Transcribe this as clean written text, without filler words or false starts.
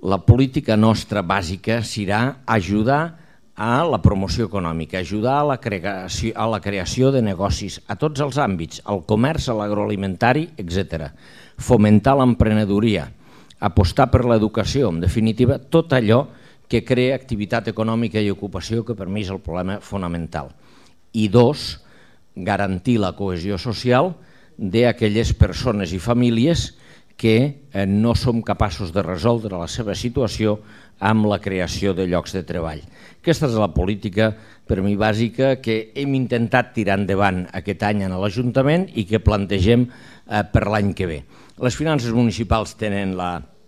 la política nostra bàsica serà ajudar a la promoció econòmica, ajudar a la creació de negocis a tots els àmbits, al comerç, a l'agroalimentari, etc. Fomentar l'emprenedoria, apostar per l'educació, en definitiva, tot allò que crea activitat econòmica i ocupació, que per mi és el problema fonamental. I dos, garantir la cohesió social d'aquelles persones i famílies que no som capaços de resoldre la seva situació amb la creació de llocs de treball. Aquesta és la política, per mi, bàsica que hem intentat tirar endavant aquest any a l'Ajuntament i que plantegem per l'any que ve. Les finances municipals tenen la